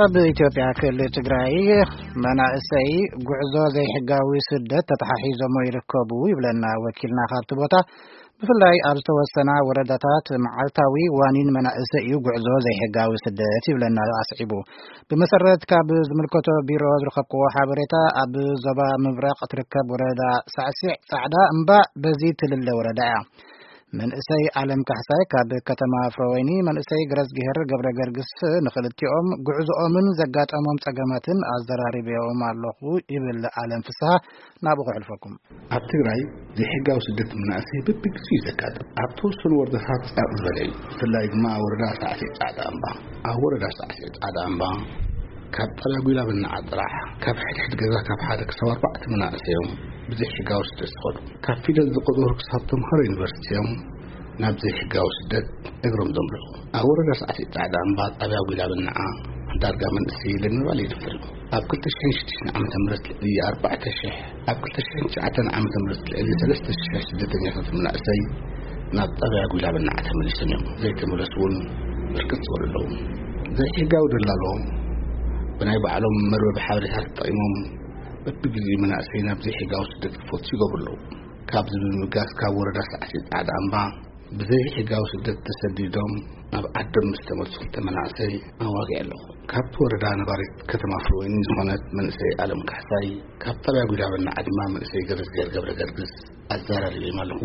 ኣብ ኢትዮጵያ ክልል ትግራይ መናእሰይ ጉዕዞ ዘይሕጋዊ ስደት ተተሓሒዞሞ ይርከቡ ይብለና ወኪልና ካብቲ ቦታ። ብፍላይ ኣብ ዝተወሰና ወረዳታት መዓልታዊ ዋኒን መናእሰይ እዩ ጉዕዞ ዘይሕጋዊ ስደት ይብለና ኣስዒቡ። ብመሰረት ካብ ዝምልከቶ ቢሮ ዝረኸብክዎ ሓበሬታ፣ ኣብ ዞባ ምብራቕ ትርከብ ወረዳ ሳዕሲዕ ጻዕዳ እምባ በዚ ትልለ ወረዳ እያ። መንእሰይ ኣለም ካሕሳይ ካብ ከተማ ፍረወይኒ፣ መንእሰይ ገረዝግሄር ገብረ ገርግስ፣ ንኽልቲኦም ጉዕዞኦምን ዘጋጠሞም ጸገማትን ኣዘራሪበዮም ኣለኹ ይብል ኣለም ፍስሃ። ናብኡ ከሕልፈኩም። ኣብ ትግራይ ዘይሕጋዊ ስደት መናእሰይ በብግዜኡ እዩ ዘጋጥም። ኣብ ተወሰኑ ወረዳታት ጻቕ ዝበለ እዩ። ብፍላይ ድማ ወረዳ ሳዕሲዕ ጻዕዳ እምባ። ኣብ ወረዳ ሳዕሲዕ ጻዕዳ እምባ ካብ ጣብያ ጉላበናዓ ጥራሕ ካብ ሕድሕድ ገዛ ካብ ሓደ ክሳብ ኣርባዕተ መናእሰይ እዮም ብዘይሕጋዊ ስደት ዝኸዱ። ካብ ፊደል ዝቆጸሩ ክሳብ ተምሃሮ ዩኒቨርሲቲ እዮም ናብ ዘይሕጋዊ ስደት እግሮም ዘምርሑ። ኣብ ወረዳ ሳዕሲዕ ጻዕዳ እምባ ጣብያ ጉላበናዓ ዳርጋ መንእሰይ የለን ምባል ይድፍር እዩ። ኣብ ክልተ ሽሕን ሽዱሽተን ዓመተ ምህረት ልዕሊ ኣርባዕተ ሽሕ፣ ኣብ ክልተ ሽሕን ትሽዓተን ዓመተ ምህረት ልዕሊ ሰለስተ ሽሕ ስደተኛታት መናእሰይ ናብ ጣብያ ጉላበናዓ ተመሊሶም እዮም። ዘይተመለሱ እውን ብርክት ዝበሉ ኣለዉ። ዘይሕጋዊ ደላሎ ብናይ ባዕሎም መርበብ ሓበሬታ ተጠቒሞም በብግዜኡ መናእሰይ ናብ ዘይሕጋዊ ስደት ክፈቱ ይገብሩ ኣለዉ። ካብዚ ብምብጋስ ካብ ወረዳ ሳዕሲዕ ጻዕዳ እምባ ብዘይሕጋዊ ስደት ተሰዲዶም ናብ ዓዶም ምስ ተመልሱ ክልተ መናእሰይ ኣዋጊዐ ኣለኹ። ካብቲ ወረዳ ነባሪት ከተማ ፍርወይኒ ዝኾነት መንእሰይ ኣለም ካሕሳይ፣ ካብ ጣብያ ጉዳበና ዓድማ መንእሰይ ገረዝጌር ገብረ ገርግስ ኣዘራሪበዮም ኣለኹ።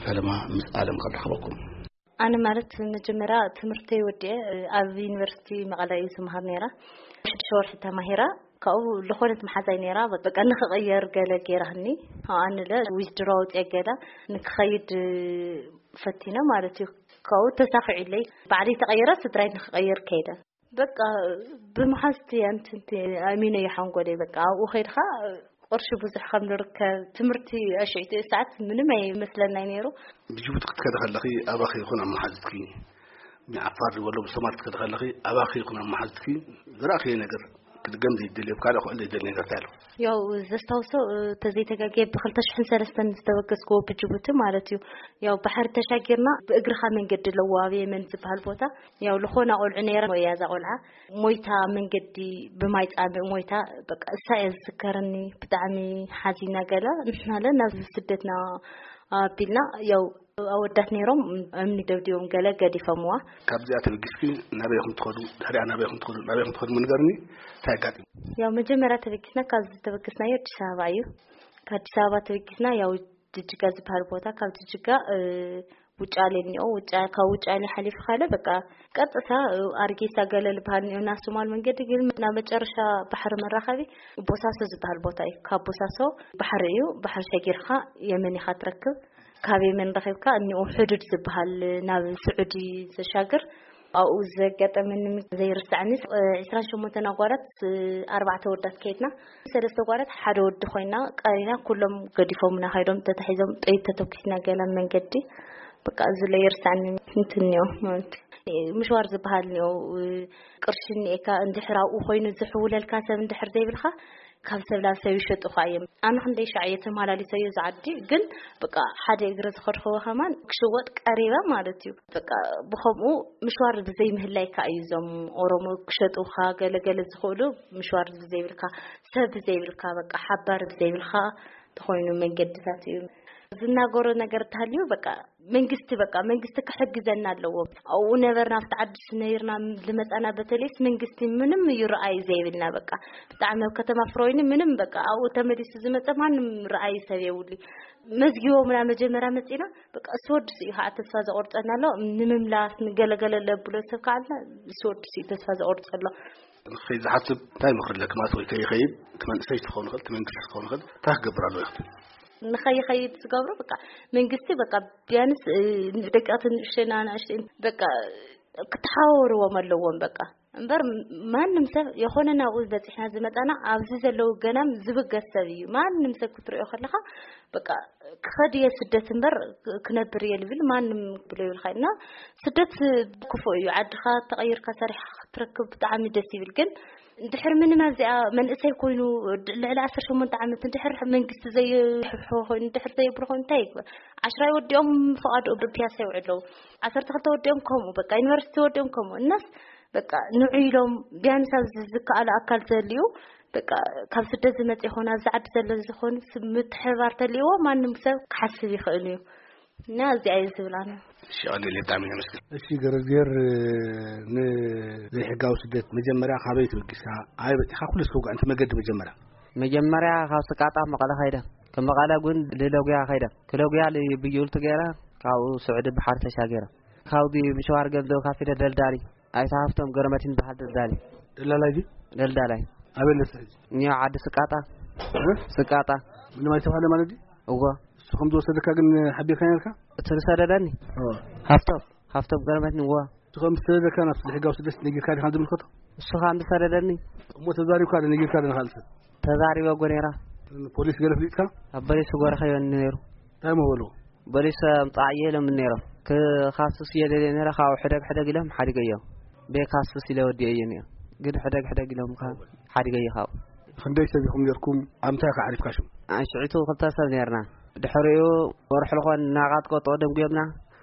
ፈለማ ምስ ኣለም ከራኽበኩም። ኣነ ማለት መጀመርያ ትምህርተይ ወዲኤ ኣብ ዩኒቨርሲቲ መቐለ እዩ ዝመሃር ነይራ። ሽዱሽተ ወርሒ ተማሂራ፣ ካብኡ ዝኾነት መሓዛይ ነይራ፣ በቃ ንኽቕየር ገለ ገይራህኒ። ኣነ ለ ዊዝድሮ ኣውፅኤ ገለ ንክኸይድ ፈቲነ ማለት እዩ። ካብኡ ተሳኺዑለይ። ባዕለይ ተቐይረ፣ ስድራይ ንክቐይር ከይደ። በቃ ብመሓዝቲ ኣንትንቲ ኣሚነ እዩ ሓንጎለይ። በቃ ኣብኡ ከይድኻ ቅርሺ ብዙሕ ከም ንርከብ፣ ትምህርቲ ኣሽዒቲ ሰዓት ምንም ኣይመስለናይ ነይሩ። ብጅቡቲ ክትከዲ ከለኺ ኣባኺ ይኹን ኣብ መሓዝትኪ፣ ብዓፋር ዝበሎ ብሶማል ክትከዲ ከለኺ ኣባኺ ይኹን ኣብ መሓዝትኪ ዝረኣኽዮ ነገር ክድገም ዘይደልዮ፣ ካልእ ክውዕል ዘይደልዮ ነገር እንታይ ኣሎ? ያው ዘስታውሶ፣ እ፣ ተዘይተጋግየ ብክልተ ሽሕን ሰለስተን ዝተበገስክዎ ብጅቡቲ ማለት እዩ። ያው ባሕሪ ተሻጊርና ብእግርኻ መንገዲ ኣለዎ ኣብ የመን ዝበሃል ቦታ። ያው ልኾና ቆልዑ ነይረ እያ እዛ ቆልዓ። ሞይታ መንገዲ ብማይ ጻምእ ሞይታ፣ በቃ እሳ እያ ዝዝከረኒ። ብጣዕሚ ሓዚና ገለ ንሕና ለ ናብ ስደትና ኣቢልና፣ ያው ኣወዳት ነይሮም እምኒ ደብዲቦም ገለ ገዲፎምዋ። ካብዚኣ ተበጊስኪ ናበይ ኢኹም ትኸዱ? ድሕሪኣ ናበይ ኢኹም ትኸዱ? ናበይ ኢኹም ትኸዱ? ምንገርኒ እንታይ ኣጋጢሙ? ያው መጀመርያ ተበጊስና፣ ካብዚ ዝተበገስናዮ ኣዲስ ኣበባ እዩ። ካብ ኣዲስ ኣበባ ተበጊስና ያው ጅጅጋ ዝበሃል ቦታ፣ ካብ ጅጅጋ፣ እ፣ ውጫሌ እኒኦ፣ ውጫ-፣ ካብ ውጫሌ ሓሊፉ ካለ በቃ ቀጥታ፣ እ፣ ኣርጌሳ ገለ ዝበሃል እኒኦ፣ ናብ ሶማል መንገዲ ግን ናብ መጨረሻ ባሕሪ መራኸቢ ቦሳሶ ዝበሃል ቦታ እዩ። ካብ ቦሳሶ ባሕሪ እዩ፣ ባሕሪ ሸጊርካ የመን ኢኻ ትረክብ። ካብ የመን ረኺብካ እኒኦ ሕዱድ ዝበሃል ናብ ስዑዲ ዘሻግር ኣብኡ ዘጋጠመኒ ዘይርስዓኒ፣ ዒስራን ሸሞንተን ኣጓላት፣ ኣርባዕተ ወዳት ከይድና፣ ሰለስተ ጓላት ሓደ ወዲ ኮይና ቀሪና፣ ኩሎም ገዲፎምና ከይዶም ተታሒዞም ጥይት ተተኩስና ገለ መንገዲ። በቃ እዚ ለይርስዓኒ እንትን እኒኦ ማለት እዩ። ምሽዋር ዝበሃል እኒኦ፣ ቅርሺ እኒኤካ እንድሕር ኣብኡ ኮይኑ ዝሕውለልካ ሰብ እንድሕር ዘይብልካ ካብ ሰብ ናብ ሰብ ይሸጡኻ እዮም። ኣነ ክንደይ ሻዕ እየ ተመላሊሰዮ እዚ ዓዲ፣ ግን በቃ ሓደ እግረ ዝኸድክዎ ከማን ክሽወጥ ቀሪበ ማለት እዩ። በቃ ብኸምኡ ምሽዋር ብዘይ ምህላይካ እዩ እዞም ኦሮሞ ክሸጡኻ ገለገለ ዝኽእሉ፣ ምሽዋር ብዘይብልካ፣ ሰብ ብዘይብልካ፣ በቃ ሓባር ብዘይብልካ ተኾይኑ መንገድታት እዩ ዝናገሮ ነገር እንተሃልዩ በቃ መንግስቲ፣ በቃ መንግስቲ ክሕግዘና ኣለዎ። ኣብኡ ነበርና፣ ኣብቲ ዓዲ ነይርና ዝመጻና፣ በተለይስ መንግስቲ ምንም እዩ ረኣይ ዘይብልና። በቃ ብጣዕሚ ኣብ ከተማ ፍሮይኒ ምንም፣ በቃ ኣብኡ ተመሊሱ ዝመጸ ማንም ረኣይ ሰብ የብሉ። መዝጊቦምና መጀመርያ መጺና፣ በቃ እሱ ወዲ እዩ ከዓ ተስፋ ዘቆርጸና ኣሎ። ንምምላስ ንገለገለ ለብሎ ሰብ ከዓ ኣልና፣ እሱ ወዲ እዩ ተስፋ ዘቆርጸ ኣሎ። ንኸይድ ዝሓስብ እንታይ ምኽሪ ኣለኪ? ማለት ወይ ከይኸይድ፣ እቲ መንእሰይ ክኸውን ይኽእል፣ እቲ መንግስቲ ክኸውን ይኽእል፣ እንታይ ክገብር ኣለዎ ይኽእል? ንኸይኸይድ ዝገብሮ በቃ መንግስቲ በቃ ቢያንስ፣ እ፣ ደቀቕቲ ንእሽተይ ንኣሽተይ በቃ ክተሓዋወርዎም ኣለዎም በቃ። እምበር ማንም ሰብ የኾነ ናብኡ በፂሕና ዝመፃና ኣብዚ ዘለዉ ገናም ዝብገስ ሰብ እዩ። ማንም ሰብ ክትሪኦ ከለኻ በቃ ክኸድ እየ ስደት እምበር ክነብር እየ ልብል ማንም ብሎ ይብልካ። እና ስደት ክፉእ እዩ። ዓድኻ ተቐይርካ ሰሪሕካ ክትረክብ ብጣዕሚ ደስ ይብል። ግን እንድሕር ምንም ኣብዚኣ መንእሰይ ኮይኑ ልዕሊ ዓሰርተ ሸሞንተ ዓመት እንድሕር መንግስቲ ዘይሕብሕቦ ኮይኑ፣ እንድሕር ዘየብሎ ኮይኑ እንታይ ይግበር? ዓሽራይ ወዲኦም ፍቓድ ፒያሳ ይውዕሉ ኣለዉ። ዓሰርተ ክልተ ወዲኦም ከምኡ፣ በቃ ዩኒቨርሲቲ ወዲኦም ከምኡ። እናስ በቃ ንዑ ኢሎም ቢያንስ ኣብዚ ዝከኣሉ ኣካል ዘልዩ በቃ ካብ ስደት ዝመጽ ይኾን ኣብዚ ዓዲ ዘሎ ዝኾን ምትሕባር ተልይዎ ማንም ሰብ ክሓስብ ይኽእል እዩ። እና እዚ ኣየ ዝብላና። እሺ፣ ቀሊል ብጣዕሚ ነመስግን። እሺ፣ ገረዝጌር፣ ንዘይሕጋዊ ስደት መጀመርያ ካበይ ተበጊስካ? ኣበይ በጺኻ? ኩሉ እስኪ ውጋእ፣ እቲ መገዲ መጀመርያ። መጀመርያ ካብ ስቃጣ መቐለ ኸይደ። ካብ መቐለ ግን ልለጉያ ኸይደ። ክለጉያ ብዩልቱ ገይረ፣ ካብኡ ስዑዲ ባሕሪ ተሻገረ። ካብዚ ምሽዋር ገንዘብ ካፊለ ደልዳሊ። ኣይተ ሃፍቶም ገረመቲን በሃል ደልዳሊ። ደላላይ ድዩ? ደልዳላይ። ኣበይ ኣለስ ሕጂ? እኒኦ ዓዲ ስቃጣ። እ? ስቃጣ። ምንም ኣይተባህለ ማለት ድዩ? እዎ። እሱ ከም ዝወሰደካ ግን ሓቢርካ ነርካ? እቲ ዝሰደደኒ? እዎ። ሃፍቶም። ሃፍቶም ገረመትኒ፣ እዎ። እሱ ከም ዝሰደደካ ናብቲ ሕጋዊ ስደት ነጊርካ ዲኻ ዝምልከቶ? እሱ ከም ዝሰደደኒ? እሞ ተዛሪብካ ዶ ነጊርካ ዶ ንኻልእ ሰብ? ተዛሪበ እኮ ነይራ። ፖሊስ ገለ ፍሊጥካ? ኣብ ፖሊስ ጎረኸዮ ነይሩ። እንታይ እሞ በልዎ? ፖሊስ ኣምጻእየ ኢሎም ነይሮም። ክኻስስ እየ ደልየ ነይረ፣ ካብኡ ሕደግ ሕደግ ኢሎም ሓዲገዮ። ቤካስስ ኢለ ወዲኤዮ ነይረ። ግን ሕደግ ሕደግ ኢሎም ከ ሓዲገዮ ካብኡ። ክንደይ ሰብ ኢኹም ነይርኩም? ኣብ እንታይ ከ ዓሪፍካ ሽም? ኣንሽዒቱ ክልተ ሰብ ነይርና። ድሕሪኡ ወርሒ ልኾን እናቃጥቀጡ ደንጉዮምና።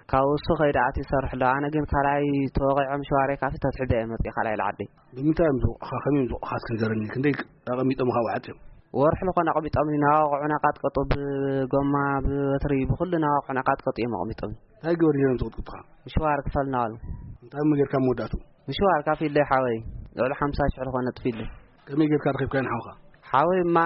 ካብኡ እሱ ከይደ ኣትዩ ይሰርሕ ኣሎ። ኣነ ግን ካልኣይ ተወቒዖም ሸዋረይ ካፊ ተትሕደ እየ መፅእ ካልኣይ ልዓደይ። ብምንታይ እዮም ዝወቕኻ? ከመይ እዮም ዝወቕኻ? እስኪ ንገረኒ። ክንደይ ኣቐሚጦም ካብኡ ዓፅዮም? ወርሒ ልኾን ኣቐሚጦም እናወቕዑ እናቃጥቀጡ ብጎማ፣ ብበትሪ፣ ብኹሉ እናወቕዑ እናቃጥቀጡ እዮም ኣቐሚጦም። እንታይ ግበር ነይሮም ዝቕጥቅጡኻ? ምሽዋር ክፈል እናበሉ። እንታይ እሞ ጌርካ መወዳእቱ? ምሽዋር ካፊለይ ሓወይ። ልዕሊ ሓምሳ ሽሕ ልኾን ነጥፊለይ። ከመይ ጌርካ ረኺብካዮ ንሓውኻ? ሓወይ እማ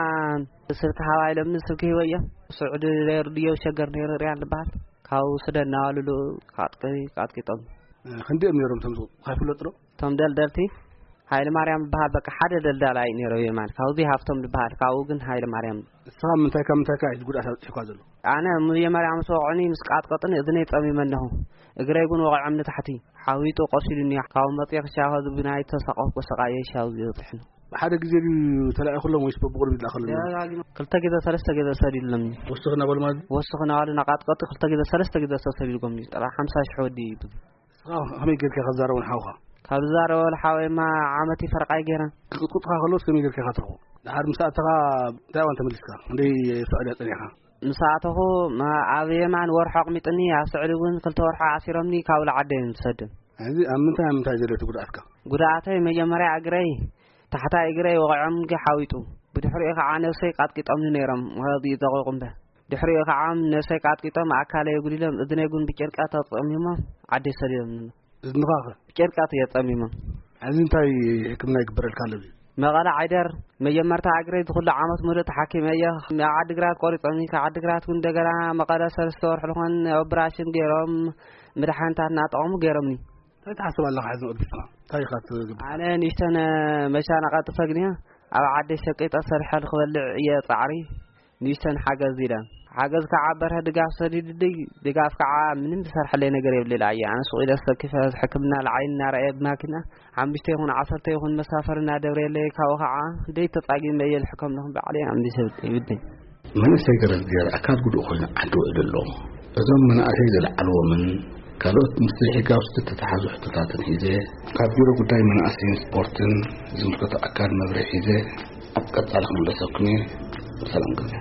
ስልኪ ሃባ ኢሎምኒ ስልኪ ሂበዮ። ስዑዲ ነይሩ ድዮ ሸገር ነይሩ ሪያል ዝበሃል። ካብኡ ስደድ እናበሉሉ ቃጥቂ-፣ ቃጥቂጦም። እ፣ ክንደይ እዮም ነይሮም እቶም ዝቕጥቅጡ? ይፍለጥ ዶ? እቶም ደልደልቲ ሃይለ ማርያም ዝበሃል በቃ ሓደ ደልዳላይ ነይሩ የማን። ካብዚ ሃፍቶም ዝበሃል፣ ካብኡ ግን ሃይለ ማርያም። ንስኻ ምንታይ ካብ ምንታይ ከ እዩ ጉድኣት ኣብፂሑካ ዘሎ? ኣነ መጀመርያ ምስ ወቕዑኒ፣ ምስ ቃጥቀጡኒ እዝነይ ጸሚመ ኣለኹ። እግረይ እውን ወቒዖም ንታሕቲ። ሓዊጡ ቆሲሉኒ። ካብኡ መፅየ ክሻኸ ዝብናይ ተሳቐፍኩ፣ ሰቓየ ሻው ዝበፅሕኒ። ብሓደ ግዜ ድዩ ተላኢኹሎም ወይስ በብቕድሚት ዝለኣኸሎም? ደጋጊሙ ክልተ ግዜ ሰለስተ ግዜ ሰዲድሎምኒ። ወስኽ እናበሉ ማለት? ወስኽ እናበሉ እናቃጥቀጡ ክልተ ግዜ ሰለስተ ግዜ ተሰዲድጎምኒ። ጠብዓ ሓምሳ ሽሕ ወዲ እዩ። ንስኻ ከመይ ጌርካ ኢኻ ትዛረቦ ንሓውኻ? ካብ ዝዛረቦ ሓወይማ ዓመት ፈርቓይ ገይረ። ክቕጥቅጥኻ ከለውስ ከመይ ጌርካ ኢኻ ትረኽቦ? ድሓር ምስ ኣተኻ እንታይ እዋን ተመሊስካ? ክንደይ ስዑድያ ጸኒሕካ? ምስ ኣተኹ፣ ማ-፣ ኣብ የማን ወርሒ ኣቕሚጥኒ፣ ኣብ ስዑዲ እውን ክልተ ወርሒ ኣሲሮምኒ፣ ካብ ልዓደ እዮም ዝሰድም። ሕዚ ኣብ ምንታይ፣ ኣብ ምንታይ ዘሎ እቲ ጉድኣትካ? ጉድኣተይ መጀመርያ እግረይ፣ ታሕታይ እግረይ ወቒዖም ሓዊጡ። ብድሕሪኡ ከዓ ነብሰይ ቃጥቂጦምኒ ነይሮም፣ ወዲ ይጠቑቑ እምበር። ድሕሪኡ ከዓ ነብሰይ ቃጥቂጦም፣ ኣካለይ ኣጉዲሎም፣ እዝነይ እውን ብጨርቂ ተጸሚሞም ዓደይ ሰዲዶምኒ። እዝንኻ ኸ? ብጨርቂ እዮም ጸሚሞም። ሕዚ እንታይ ሕክምና ይግበረልካ ኣሎ ድዩ? መቐለ ዓይደር፣ መጀመርታ እግረይ ዝኹሉ ዓመት ሙሉእ ተሓኪመ እየ። ኣብ ዓዲግራት ቆሪጾምኒ፣ ካብ ዓዲግራት እውን እንደገና መቐለ ሰለስተ ወርሒ ዝኾን ኦፕራሽን ገይሮም፣ መድሓኒታት እናጠቐሙ ገይሮምኒ። እንታይ ትሓስብ ኣለኻ ሕዚ ንቕድሚትካ? እንታይ ኢኻ ትገብር? ኣነ ንእሽተን መሻና ቀጥፈ ግን እየ። ኣብ ዓደይ ሸቂጠ ሰሪሐ ንክበልዕ እየ ጻዕሪ። ንእሽተን ሓገዝ ኢለ። ሓገዝ ከዓ በርሀ ድጋፍ ሰዲድልይ፣ ድጋፍ ከዓ ምንም ዝሰርሐለይ ነገር የብለይ። ኣየ ኣነ ሱቕ ኢለ ሰኪፈ ሕክምና ልዓይን እናረኣየ ብማኪና ሓሙሽተ ይኹን ዓሰርተ ይኹን መሳፈሪ እናደብረየለይ፣ ካብኡ ከዓ ደይ ተጻጊመ እየ ልሕከም ኣለኹ ባዕለይ ኣምሊሰ ይብለይ። መንእሰይ ገረዝጌር ኣካል ጉዱእ ኮይኑ ዓዲ ውዒሉ ኣሎ። እዞም መናእሰይ ዝለዓልዎምን ካልኦት ምስ ዘይሕጋዊ ዝተተሓሓዙ ሕቶታትን ሒዘ ካብ ቢሮ ጉዳይ መናእሰይን ስፖርትን ዝምልከቶ ኣካል መብርሂ ሒዘ ኣብ ቀጻሊ ክምለሰኩም እየ። ሰላም ግዜ።